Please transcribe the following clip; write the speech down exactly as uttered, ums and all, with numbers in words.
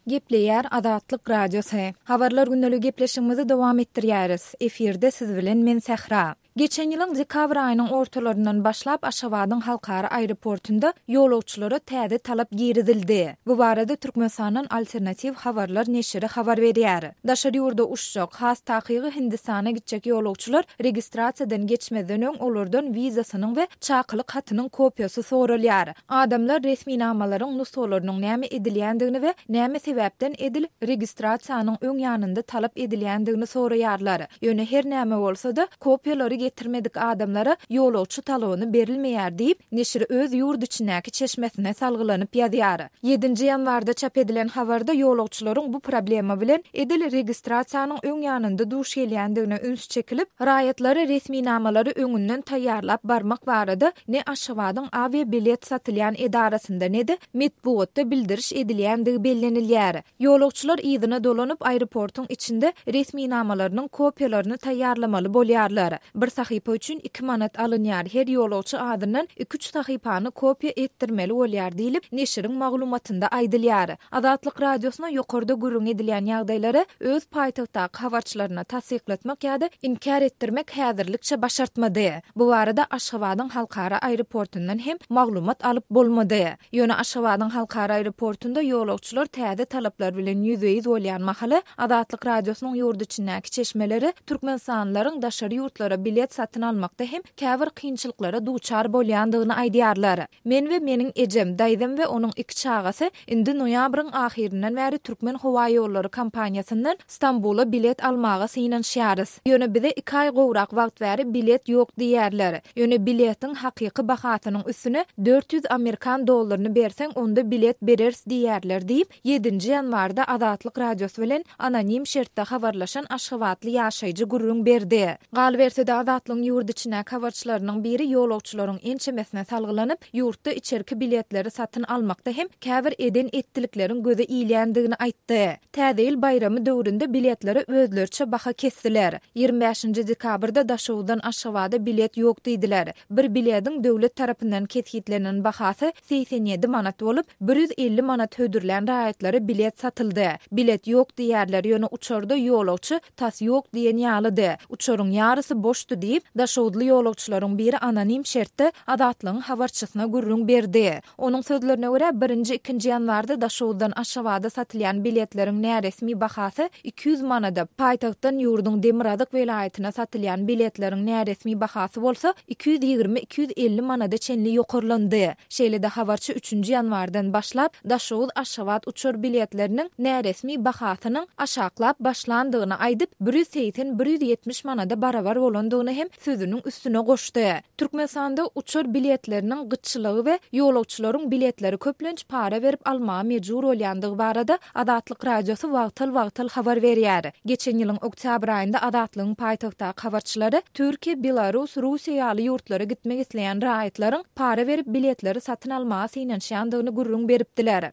Gepleýär Azatlyk Radiosy. Habarlar gündeligi gepleşigimizi dowam etdirýäris. Efirde siz bilen men Sähra. Geçen ýylyň dekabr aýynyň ortalaryndan başlap Aşgabadyň halkara aeroportunda ýolagçylara täze talap girizildi. Bu barada Türkmenistandan Alternatiw habarlar neşiri habar berýär. Daşary ýurda uçjak, has takygy Hindistana gitjek ýolagçylar registrasiýadan geçmezden öň olardan wizasynyň we çakylyk hatynyň kopiýasy soralýar. Adamlar resminamalaryň nusgalarynyň näme edilýändigini we näme sebäpden edil registrasiýanyň öň ýanynda talap edilýändigini soraýarlar. Ýöne her näme bolsa-da kopiýalary getirmedik adamlara ýolagçy talony berilmeýär diýip, neşir öz ýurt içindäki çeşmesine salgylanyp ýazýar. Ýedinji ýanwarda çap edilen habarda ýolagçylaryň bu problema bilen edil registrasiýanyň öň ýanynda duş gelýändigine üns çekilip, raýatlary resminamalary öňünden taýýarlap barmak barada ne Aşgabadyň awiabilet satylýan edarasynda ne-de metbugatda bildiriş edilýändigi bellenilýär. Ýolagçylar yzyna dolanyp, aeroportuň içinde resminamalarynyň kopiýalaryny taýýarlamaly bolýarlar. Bir sahypa üçin iki manat alynýar, her ýolagçy azyndan iki-üç sahypany kopiýa etdirmeli bolýar diýlip, neşiriň maglumatynda aýdylýar. Azatlyk Radiosyna ýokarda gürrüň edilýän ýagdaýlary öz paýtagtdaky habarçylaryna tassyklatmak ýa-da inkär etdirmek häzirlikçe başartmady. Bu barada Aşgabadyň halkara aeroportundan hem maglumat alyp bolmady. Ýöne Aşgabadyň halkara aeroportunda ýolagçylar täze talaplar bilen ýüzbe-ýüz bolýan mahaly Azatlyk Radiosynyň ýurt içindäki çeşmeleri türkmenistanlylaryň daşary ýurtlara bilet satyn almakda hem käbir kynçylyklara duçar bolýandygyny aýdýarlar. Men we meniň ejem, daýzam we onuň iki çagasy indi noýabryň ahyryndan bäri Türkmenhowaýollary kompaniýasyndan Stambula bilet almaga synanyşýarys. Ýöne bize iki aý gowrak wagt bäri bilet ýok diýýärler. Ýöne biletiň hakyky bahasynyň üstüne dört ýüz amerikan dollaryny berseň, onda bilet bereris diýýärler diýip, ýedinji ýanwarda Azatlyk Radiosy bilen anonim şertde habarlaşan aşgabatly ýaşaýjy gürrüň berdi. Galyberse-de, Azatlygyň ýurt içindäki habarçylarynyň biri ýolagçylaryň ençemesine salgylanyp, ýurtda içerki biletleri satyn almakda hem käbir eden-etdilikleriň göze ilýändigini aýtdy. Täze ýyl baýramy döwründe biletlere özleriçe baha kesdiler. Ýigrimi bäşinji dekabrda Daşoguzdan Aşgabada bilet ýok diýdiler. Bir bilediň döwlet tarapyndan kesgitlenen bahasy segsen ýedi manat bolup, bir ýüz elli manat hödürlän raýatlara bilet satyldy. Bilet ýok diýýärler, ýöne uçarda ýolagçy tas ýok diýen ýalydy. Uçaryň ýarysy boşdy diýip, daşoguzly ýolagçylaryň biri anonim şertde Azatlygyň habarçysyna gürrüň berdi. Onuň sözlerine görä, birinji, ikinji ýanwarda Daşoguzdan Aşgabada satylýan biletleriň näresmi bahasy iki ýüz manada, paýtagtdan ýurduň demirgazyk welaýatyna satylýan biletleriň näresmi bahasy bolsa iki ýüz ýigrimi, iki ýüz elli manada çenli ýokarlandy. Şeýle-de habarçy üçünji ýanwardan başlap Daşoguz-Aşgabat uçar biletleriniň näresmi bahasynyň aşaklap başlandygyny aýdyp, bir ýüz segsen, bir ýüz ýetmiş manada barabar bolandygyny hem sözüniň üstüne goşdy. Türkmenistanda uçar biletleriniň gytçylygy we ýolagçylaryň biletleri köplenç para berip almaga mejbur bolýandygy barada Azatlyk Radiosy wagtal-wagtal habar berýär. Geçen ýylyň oktýabr aýynda Azatlygyň paýtagtdaky habarçylary Türkiýe, Belarus, Russiýa ýaly ýurtlara gitmek isleýän raýatlaryň para berip biletleri satyn almaga synanyşýandygyny gürrüň beripdiler.